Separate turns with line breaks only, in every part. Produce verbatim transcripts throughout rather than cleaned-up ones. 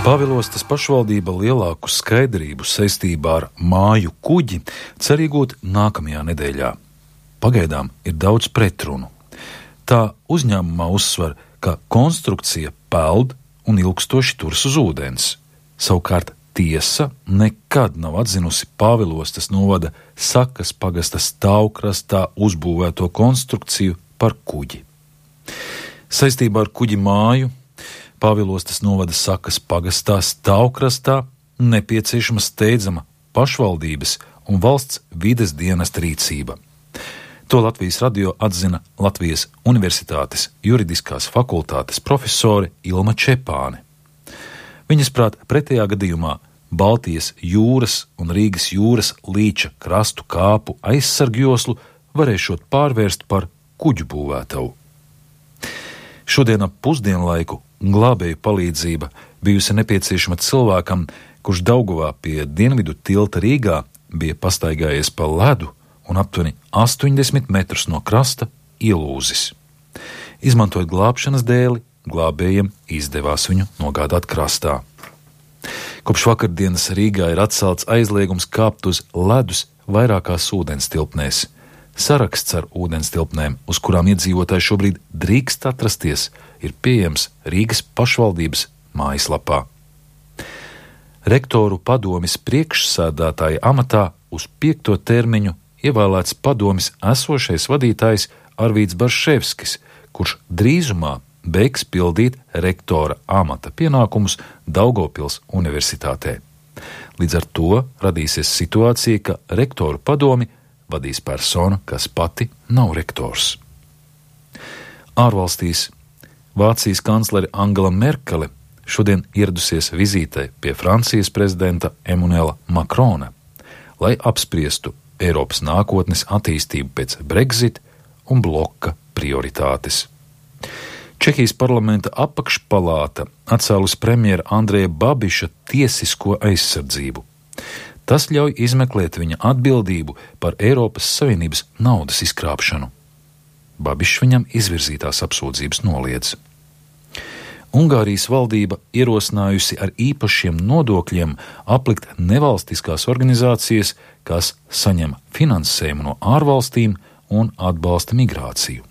Pāvilostas pašvaldība lielāku skaidrību saistībā ar māju kuģi cer iegūt nākamajā nedēļā. Pagaidām ir daudz pretrunu. Tā uzņēmumā uzsver, ka konstrukcija peld un ilgstoši turas uz ūdens. Savukārt tiesa nekad nav atzinusi Pāvilostas novada Sakas pagasta stāvkrastā uzbūvēto konstrukciju par kuģi. Saistībā ar kuģi māju Pāvilostas novada Sakas pagastā stāvkrastā nepieciešama steidzama pašvaldības un valsts vides dienesta rīcība. To Latvijas radio atzina Latvijas Universitātes juridiskās fakultātes profesore Ilma Čepāne. Viņas prāt, pretējā gadījumā Baltijas jūras un Rīgas jūras līča krastu kāpu aizsargjoslu varēšot pārvērst par kuģu būvētavu. Šodien ap pusdienlaiku glābēju palīdzība bijusi nepieciešama cilvēkam, kurš Daugavā pie dienvidu tilta Rīgā bija pastaigājies pa ledu un aptuveni astoņdesmit metrus no krasta ielūzis. Izmantojot glābšanas dēli, glābējiem izdevās viņu nogādāt krastā. Kopš vakardienas Rīgā ir atcelts aizliegums kāpt uz ledus vairākās ūdenstilpnēs. Saraksts ar ūdenstilpnēm, uz kurām iedzīvotāji šobrīd drīkst atrasties, ir pieejams Rīgas pašvaldības mājaslapā. Rektoru padomes priekšsēdētāja amatā uz piekto termiņu ievēlēts padomes esošais vadītājs Arvīds Barševskis, kurš drīzumā beigs pildīt rektora amata pienākumus Daugavpils universitātē. Līdz ar to radīsies situācija, ka rektoru padomi vadīs persona, kas pati nav rektors. Ārvalstīs Vācijas kanclere Angela Merkele šodien ieradusies vizītē pie Francijas prezidenta Emmanuela Macrona, lai apspriestu Eiropas nākotnes attīstību pēc Brexit un bloka prioritātes. Čehijas parlamenta apakšpalāta atcēlus premjera Andreja Babiša tiesisko aizsardzību. Tas ļauj izmeklēt viņa atbildību par Eiropas Savienības naudas izkrāpšanu. Babišs viņam izvirzītās apsūdzības noliedz. Ungārijas valdība ierosinājusi ar īpašiem nodokļiem aplikt nevalstiskās organizācijas, kas saņem finansējumu no ārvalstīm un atbalsta migrāciju.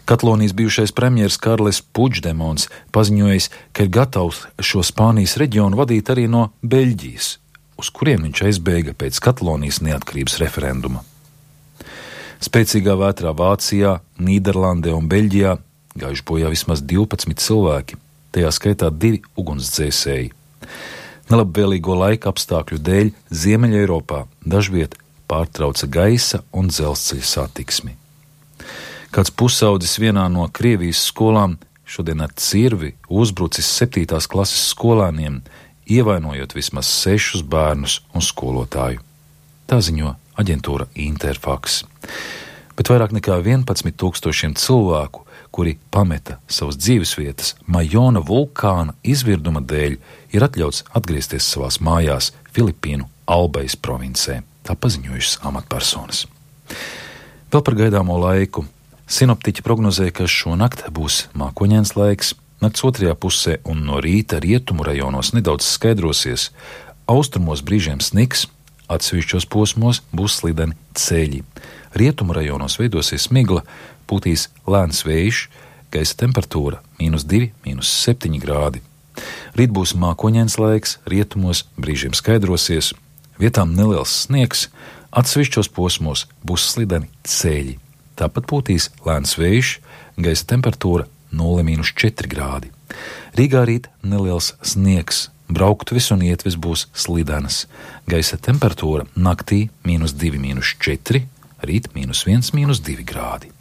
Katalonijas bijušais premjers Karles Puigdemons paziņojis, ka ir gatavs šo Spānijas reģionu vadīt arī no Beļģijas, uz kuriem viņš aizbēga pēc Katalonijas neatkarības referenduma. Spēcīgā vētrā Vācijā, Nīderlandē un Beļģijā gājuši bojā vismaz divpadsmit cilvēki, tajā skaitā divi ugunsdzēsēji. Nelabvēlīgo laika apstākļu dēļ Ziemeļa Eiropā dažviet pārtrauca gaisa un dzelzceļa satiksmi. Kāds pusaudzis vienā no Krievijas skolām šodien ar cirvi uzbrucis septītās klases skolēniem, ievainojot vismaz sešus bērnus un skolotāju. Tā ziņo aģentūra Interfax. Bet vairāk nekā vienpadsmit tūkstošiem cilvēku, kuri pameta savas dzīvesvietas Majona vulkāna izvirduma dēļ, ir atļauts atgriezties savās mājās Filipīnu Albajas provincē, tā paziņojušas amatpersonas. Vēl par gaidāmo laiku. Sinoptiķi prognozē, ka šonakt būs mākoņains laiks, nakts otrajā pusē un no rīta rietumu rajonos nedaudz skaidrosies, austrumos brīžiem sniks, atsevišķos posmos būs slideni ceļi. Rietumu rajonos veidosies migla, pūtīs lēns vējš, gaisa temperatūra mīnus divi, mīnus septiņi grādi. Rīt būs mākoņains laiks, rietumos brīžiem skaidrosies, vietām neliels sniegs, atsevišķos posmos būs slideni ceļi. Tāpat pūtīs lēns vējš, gaisa temperatūra nulle mīnus četri grādi. Rīgā rīt neliels sniegs, brauktuves un ietves būs slidenas. Gaisa temperatūra naktī mīnus divi, mīnus četri, rīt mīnus viens, mīnus divi grādi.